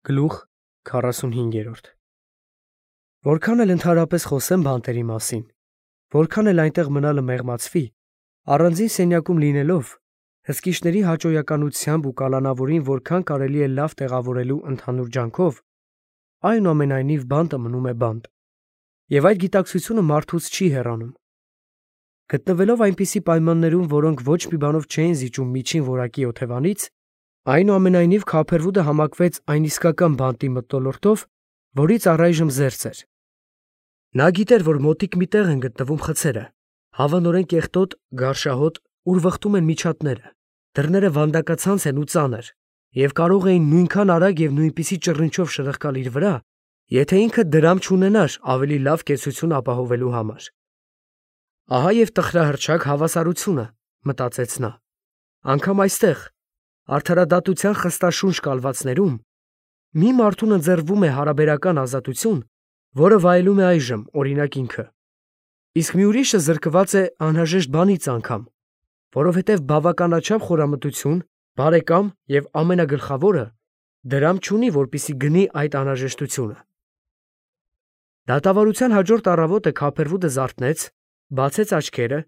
Գլուխ 45 Որքան էլ ընդհանրապես խոսեմ բանտերի մասին, որքան էլ այնտեղ մնալը մեղմացվի, առանձին սենյակում լինելով, հսկիչների հաճոյականությամբ ու կալանավորին որքան կարելի է լավ տեղավորելու ընդհանուր ջանքով, այնուամենայնիվ բանտը մնում է բանտ, և այդ գիտակցությունը մարդուց չի հեռանում։ Գտնվելով այնպիսի պայմաններում, որոնք ոչ մի բանով չէին զիջում միջին որակի օթևանից, այնուամենայնիվ Քափերվուդը համակվեց այն իսկական բանտի մթնոլորտով, որից առայժմ զերծ էր։ Նա գիտեր, որ մոտիկ մի տեղ են գտնվում խցերը, հավանորեն կեղտոտ, գարշահոտ, ուր վխտում են միջատները, դռները վանդակացանց են ու ծանր, և կարող էին նույնքան արագ և նույնպիսի ճռինչով շրխկալ իր վրա, եթե ինքը դրամ չունենար ավելի լավ կեցություն ապահովելու համար։ Ահա և տխրահռչակ հավասարությունը, մտածեց նա, անգամ այստեղ, արդարադատության խստաշունչ կալվածներում, մի մարդուն ընձեռվում է հարաբերական ազատություն, որը վայելում է այժմ, օրինակ ինքը, իսկ մի ուրիշը զրկված է անհրաժեշտ բանից անգամ, որովհետև բավականաչափ խորամտություն, բարեկամ և ամենագլխավորը դրամ չունի, որպեսզի գնի այդ անհրաժեշտությունը։ Դատավարության հաջորդ առավոտը Քափերվուդը զարթնեց, բացեց աչքերը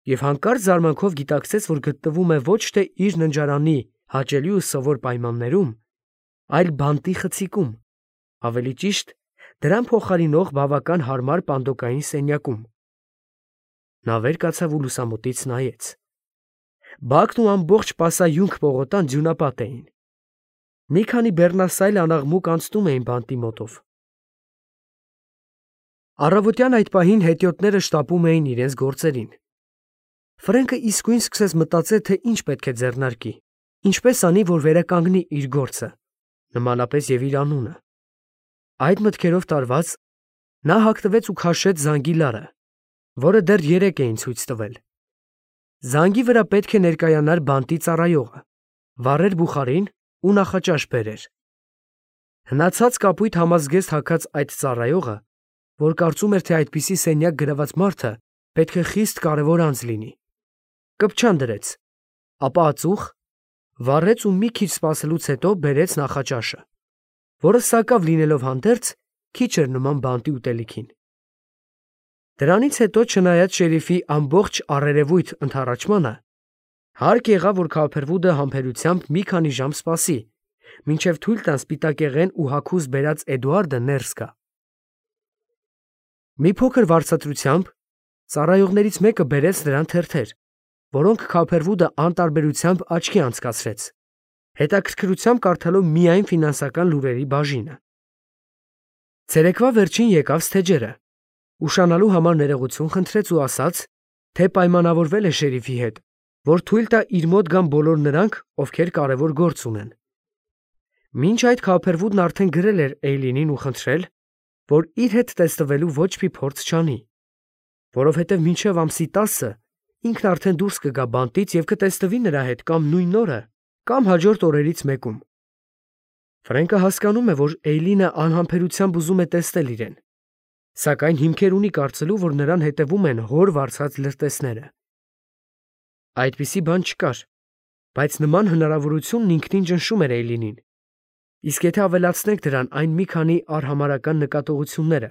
և հանկարծ զարմանքով գիտակցեց, որ գտնվում է ոչ թե իր ննջարանի հաճելի ու սովոր պայմաններում, այլ բանտի խցիկում, ավելի ճիշտ, դրան փոխարինող բավական հարմար պանդոկային սենյակում։ Նա վեր կացավ ու լուսամուտից նայեց։ Բակն ու ամբողջ սպասայունք պողոտան ձյունապատ էին։ Մի քանի բեռնասայլ անաղմուկ անցնում էին բանտի մոտով։ Առավոտյան այդ պահին հետիոտները շտապում էին իրենց գործերին։ Ֆրենկը իսկույն սկսեց մտածել, թե ինչ պետք է ձեռնարկի, ինչպես անի, որ վերականգնի իր գործը, նմանապես և իր անունը։ Այդ մտքերով տարված, նա հագնվեց ու քաշեց զանգի լարը, որը դեռ երեկ էին ցույց տվել։ Զանգի վրա պետք է ներկայանար բանտի ծառայողը, վառեր բուխարին ու նախաճաշ բերեր։ Հնացած կապույտ համազգեստ հագած այդ ծառայողը, որ կարծում էր, թե այդպիսի սենյակ գրաված մարդը պետք է խիստ կարևոր անձ լինի, կպչան դրեց, ապա ածուխ, վառեց ու մի քիչ սպասելուց հետո բերեց նախաճաշը, որը սակավ լինելով հանդերձ, քիչ էր նման բանտի ուտելիքին։ Դրանից հետո, չնայած շերիֆի ամբողջ առերևույթ ընդառաջմանը, հարկ եղավ, որ Քափերվուդը համբերությամբ մի քանի ժամ սպասի, մինչև թույլ տան սպիտակեղեն ու հագուստ բերած Էդուարդը ներս գա։ Մի փոքր վարձատրությամբ ծառայողներից մեկը բերեց նրան թերթեր, որոնք Քափերվուդը անտարբերությամբ աչքի անցկացրեց, հետաքրքրությամբ կարդալով միայն ֆինանսական լուրերի բաժինը։ Ցերեկվա վերջին եկավ Սթեջերը, ուշանալու համար ներողություն խնդրեց ու ասաց, թե պայմանավորվել է շերիֆի հետ, որ թույլ տա իր մոտ գան բոլոր նրանք, ովքեր կարևոր գործ ունեն։ Մինչ այդ Քափերվուդն արդեն գրել էր Էյլինին ու խնդրել, որ իր հետ տեսնվելու ոչ մի փորձ չանի, որովհետև մինչև ամսի 10-ը ինքն արդեն դուրս կգա բանտից և կտեսնվի նրա հետ կամ նույն օրը, կամ հաջորդ օրերից մեկում։ Ֆրենկը հասկանում է, որ Էյլինը անհամբերությամբ ուզում է տեսնել իրեն, սակայն հիմքեր ունի կարծելու, որ նրան հետևում են հոր վարձած լրտեսները։ Այդպիսի բան չկար, բայց նման հնարավորությունն ինքնին ճնշում էր Էյլինին, իսկ եթե ավելացնենք դրան այն մի քանի արհամարհական նկատողությունները,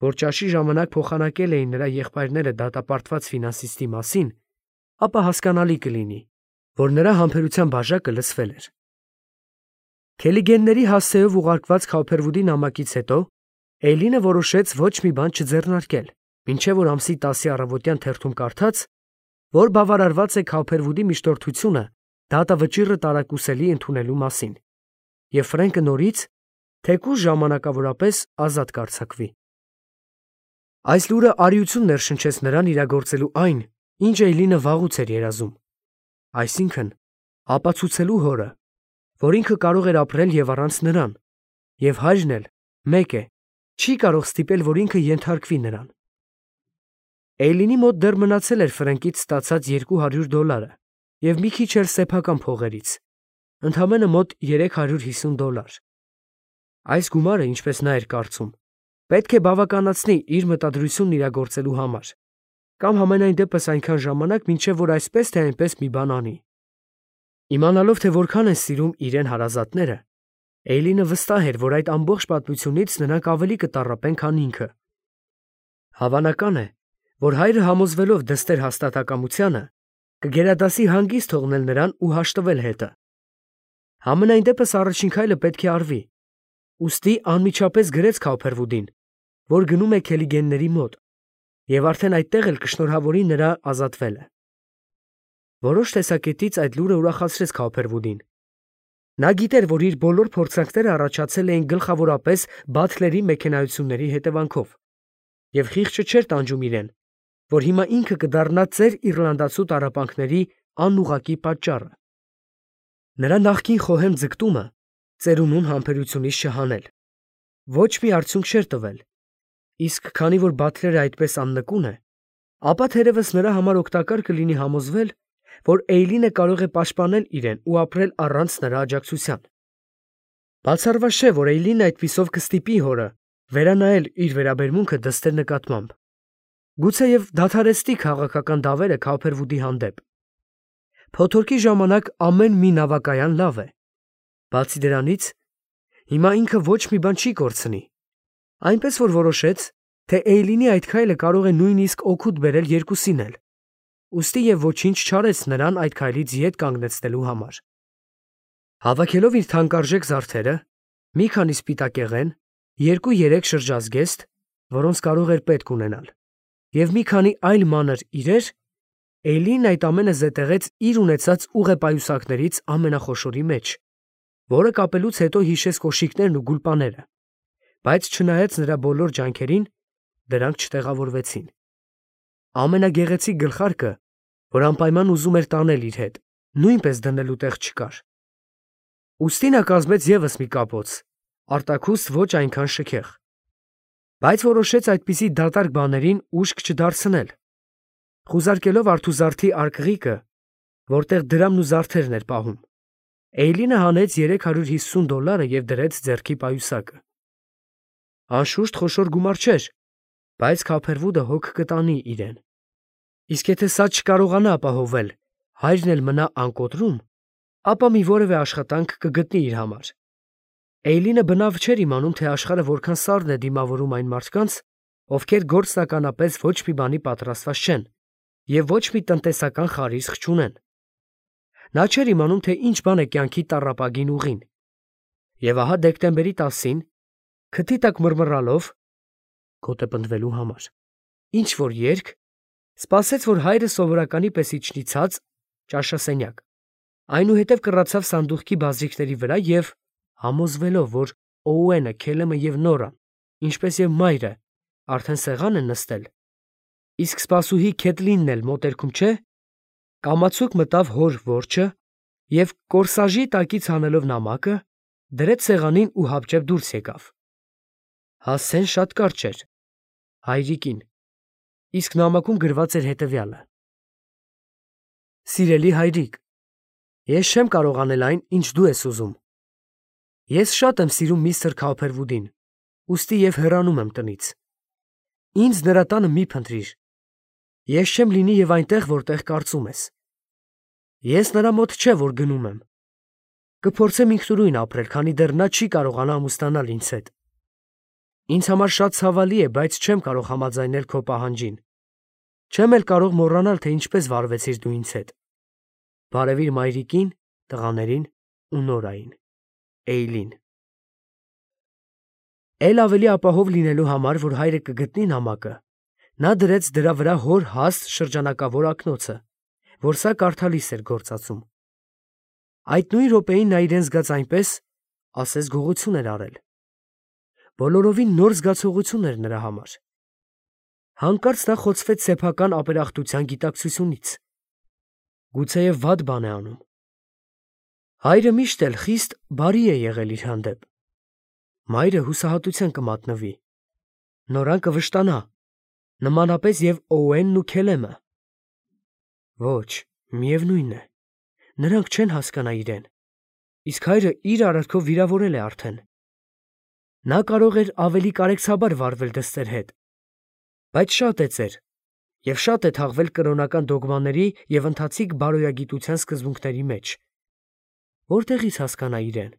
որ ճաշի ժամանակ փոխանակել էին նրա եղբայրները դատապարտված ֆինանսիստի մասին, ապա հասկանալի կլինի, որ նրա համբերության բաժակը լցվել էր։ Քելիգենների հասցեով ուղարկված Քափերվուդի նամակից հետո Էյլինը որոշեց ոչ մի բան չձեռնարկել, մինչև որ ամսի 10-ի առավոտյան թերթում կարդաց, որ բավարարված է Քափերվուդի միջնորդությունը դատավճիռը տարակուսելի ընդունելու մասին, և Ֆրենկը նորից, թեկուզ ժամանակավորապես, ազատ կարձակվի։ Այս լուրը արիություն ներշնչեց նրան իրագործելու այն, ինչ Էյլինը վաղուց էր երազում, այսինքն՝ ապացուցելու հորը, որ ինքը կարող էր ապրել և առանց նրան, և հայրն էլ, մեկ է, չի կարող ստիպել, որ ինքը ենթարկվի նրան։ Էյլինի մոտ դեռ մնացել էր Ֆրենկից ստացած $200 և մի քիչ էլ սեփական փողերից, ընդամենը մոտ $350։ Այս գումարը, ինչպես նա էր կարծում, պետք է բավականացնի իր մտադրությունն իրագործելու համար, կամ համենայն դեպս այնքան ժամանակ, մինչև որ այսպես թե այնպես մի բան անի։ Իմանալով, թե որքան են սիրում իրեն հարազատները, Էյլինը վստահ էր, որ այդ ամբողջ պատմությունից նրանք ավելի կտառապեն, քան ինքը։ Հավանական է, որ հայրը համոզվելով դստեր հաստատակամությանը, կգերադասի հանգիստ թողնել նրան ու հաշտվել հետը։ Համենայն դեպս առաջին քայլը պետք է արվի, ուստի անմիջապես գրեց Քաուփերվուդին, որ գնում է Քելիգենների մոտ, եւ արդեն այդտեղ էլ կշնորհավորի նրա ազատվելը։ Որոշ տեսակետից այդ լուրը ուրախացրեց Քաուփերվուդին։ Նա գիտեր, որ իր բոլոր փորձանքները առաջացել էին գլխավորապես Բաթլերի մեքենայությունների հետևանքով, եւ խիղճը չէր տանջում իրեն, որ հիմա ինքը կդառնա ծեր իռլանդացու տառապանքների անուղղակի պատճառը։ Նրա նախկին խոհեմ ձգտումը ծերունուն համբերությունից չհանել ոչ մի արդյունք չէր տվել, իսկ քանի որ Բաթլերը այդպես աննկուն է, ապա թերևս նրա համար օգտակար կլինի համոզվել, որ Էյլինը կարող է պաշտպանել իրեն ու ապրել առանց նրա աջակցության։ Բացառված չէ, որ Էյլինը այդպիսով կստիպի հորը վերանայել իր վերաբերմունքը դստեր նկատմամբ, գուցեև դադարեցնի քաղաքական դավերը Քաուփերվուդի հանդեպ։ Փոթորկի ժամանակ ամեն մի նավակայան լավ է։ Բացի դրանից, հիմա ինքը ոչ մի բան չի կորցնի, այնպես որ որոշեց, թե Էյլինի այդ քայլը կարող է նույնիսկ օգուտ բերել երկուսին էլ, ուստի և ոչինչ չարեց նրան այդ քայլից ետ կանգնեցնելու համար։ Հավաքելով իր թանկարժեք զարդերը, մի քանի սպիտակեղեն, 2-3 շրջազգեստ, որոնց կարող էր պետք ունենալ, և մի քանի այլ մանր իրեր, Էյլինն այդ ամենը զետեղեց իր ունեցած ուղեպայուսակներից ամենախոշորի մեջ, որը կապելուց հետո հիշեց կոշիկներն ու գուլպաները, բայց չնայած նրա բոլոր ջանքերին, դրանք չտեղավորվեցին։ Ամենագեղեցիկ գլխարկը, որ անպայման ուզում էր տանել իր հետ, նույնպես դնելու տեղ չկար։ Ուստի նա կազմեց ևս մի կապոց, արտաքուստ ոչ այնքան շքեղ, բայց որոշեց այդպիսի դատարկ բաներին ուշք չդարձնել, խուզարկելով արթուզարդի արկղիկը, որտեղ դրամն ու զարդերն էր պահում, Էյլինը հանեց $350 և դրեց ձեռքի պայուսակը։ Անշուշտ խոշոր գումար չէր, բայց Քաուփերվուդը հոգ կտանի իրեն։ Իսկ եթե սա չկարողանա ապահովել, հայրն էլ մնա անկոտրում, ապա մի որևէ աշխատանք կգտնի իր համար։ Էյլինը բնավ չէր իմանում, թե աշխարհը որքան սառն է դիմավորում այն մարդկանց, ովքեր գործնականապես ոչ մի բանի պատրաստված չեն և ոչ մի տնտեսական խարիսխ չունեն։ Նա չէր իմանում, թե ինչ բան է կյանքի տառապագին ուղին։ Եվ ահա դեկտեմբերի 10-ին, քթի տակ մռմռալով (գոտե պնդվելու համար) ինչ-որ երգ, սպասեց, որ հայրը սովորականի պես իջնի ցած ճաշասենյակ, այնուհետև կռացավ սանդուղքի բազիկների վրա և, համոզվելով, որ Օուենը, Քելեմը և Նորան, ինչպես և մայրը, արդեն սեղան են նստել, իսկ սպասուհի Քեթլինն էլ մոտերքում չէ, կամացուկ մտավ հոր որջը և, կորսաժի տակից հանելով նամակը, դրեց սեղանին ու հապճեպ դուրս եկավ։ Հասցեն շատ կարճ էր, հայրիկին, իսկ նամակում գրված էր հետևյալը. Սիրելի հայրիկ, ես չեմ կարող անել այն, ինչ դու ես ուզում։ Ես շատ եմ սիրում միստր Քաուփերվուդին, ուստի և հեռանում եմ տնից։ Ինձ նրա տանը մի փնտրիր։ Ես չեմ լինի և այնտեղ, որտեղ կարծում ես։ Ես նրա մոտ չէ, որ գնում եմ։ Կփորձեմ ինքնուրույն ապրել, քանի դեռ նա չի կարողանա ամուսնանալ ինձ հետ։ Ինձ համար շատ ցավալի է, բայց չեմ կարող համաձայնել քո պահանջին։ Չեմ էլ կարող մոռանալ, թե ինչպես վարվեցիր դու ինձ հետ։ Բարևիր մայրիկին, տղաներին ու Նորային։ Էյլին։ Էլ ավելի ապահով լինելու համար, որ հայրը կգտնի նամակը, նա դրեց դրա վրա հոր հաստ շրջանակավոր ակնոցը, որ սա կարդալիս էր գործածում։ Այդ նույն րոպեին նա իրեն զգաց այնպես, ասես գողություն էր արել։ Բոլորովին նոր զգացողություն էր նրա համար։ Հանկարծ նա խոցվեց սեփական ապերախտության գիտակցությունից։ Գուցեև վատ բան է անում։ Հայրը միշտ էլ խիստ բարի է եղել իր հանդեպ։ Մայրը հուսահատության կմատնվի։ Նորան կվշտանա, նմանապես և Օուենն ու Քելեմը։ Ոչ, միևնույն է, նրանք չեն հասկանա իրեն, իսկ հայրը իր արարքով վիրավորել է արդեն։ Նա կարող էր ավելի կարեկցաբար վարվել դստեր հետ, բայց շատ է ծեր, և շատ է թաղվել կրոնական դոգմաների և ընթացիկ բարոյագիտության սկզբունքների մեջ։ Որտեղից հասկանա իրեն։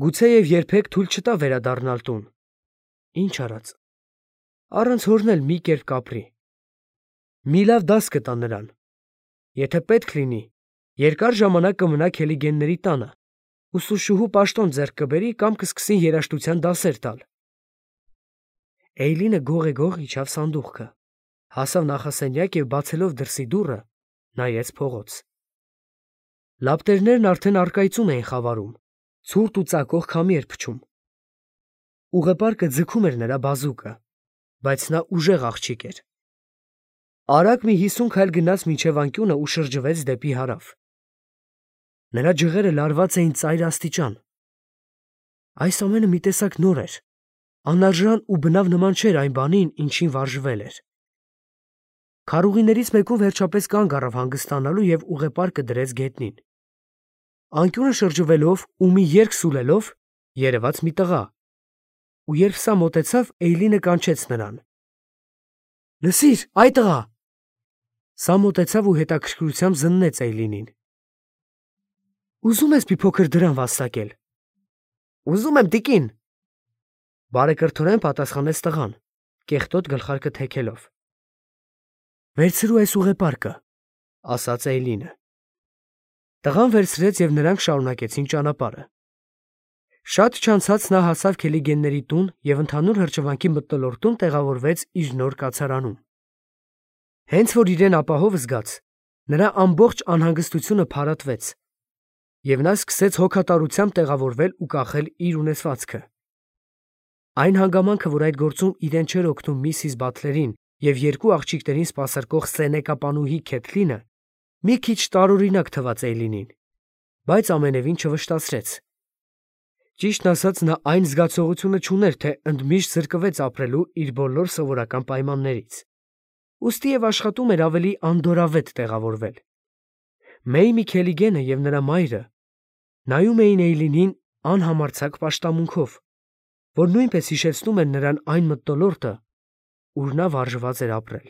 Գուցեև երբեք թույլ չտա վերադառնալ տուն։ Ինչ արած։ Առանց հորն էլ մի կերպ կապրի։ Մի լավ դաս կտա նրան։ Եթե պետք լինի, երկար ժամանակ կմնա Քելիգենների տանը, ուսուցչուհու պաշտոն ձեռք կբերի կամ կսկսի երաժշտության դասեր տալ։ Էյլինը գող իջավ սանդուղքը, հասավ նախասենյակ և բացելով դրսի դուռը, նայեց փողոց։ Լապտերներն արդեն առկայծում էին խավարում, ցուրտ ու ծակող քամի էր փչում։ Ուղեպարկը ձգում էր նրա բազուկը, բայց նա ուժեղ աղջիկ էր։ Արագ մի 50 քայլ գնաց մինչև անկյունը ու շրջվեց դեպի հարավ։ Նրա ջղերը լարված էին ծայր աստիճան։ Այս ամենը մի տեսակ նոր էր, անարժան ու բնավ նման չէր այն բանին, ինչին վարժվել էր։ Քարուղիներից մեկում վերջապես կանգ առավ հանգստանալու և ուղեպարկը դրեց գետնին։ Անկյունը շրջվելով ու մի երգ սուլելով երևաց մի տղա, ու երբ սա մոտեցավ, Էյլինը կանչեց նրան։ Լսիր, այ տղա։ Սա մոտեցավ ու հետաքրքրությամբ զննեց Էյլինին։ Ուզում ես մի փոքր դրամ վաստակել։ Ուզում եմ, տիկին։ Բարեկրթորեն պատասխանեց տղան, կեղտոտ գլխարկը թեքելով։ Վերցրու այս ուղեպարկը, ասաց Էյլինը։ Տղան վերցրեց և նրանք շարունակեցին ճանապարհը։ Շատ չանցած նա հասավ Քելիգենների տուն և ընդհանուր հրճվանքի մթնոլորտում տեղավորվեց իր նոր կացարանում։ Հենց որ իրեն ապահով զգաց, նրա ամբողջ անհանգստությունը փարատվեց, և նա սկսեց հոգատարությամբ տեղավորվել ու կախել իր ունեցվածքը։ Այն հանգամանքը, որ այդ գործում իրեն չէր օգնում Միսիս Բաթլերին և երկու աղջիկներին սպասարկող սենեկապանուհի Քեթլինը, մի քիչ տարօրինակ թվաց Էյլինին, բայց ամենևին չվշտացրեց։ Ճիշտն ասած, նա այն զգացողությունը չուներ, թե ընդմիշտ զրկվեց ապրելու իր բոլոր սովորական պայմաններից, ուստիև աշխատում էր ավելի անդորրավետ տեղավորվել։ Մեյմի Քելիգենը և նրա մայրը նայում էին Էյլինին անհամարձակ պաշտամունքով, որ նույնպես հիշեցնում էր նրան այն մթնոլորտը, ուր նա վարժված էր ապրել։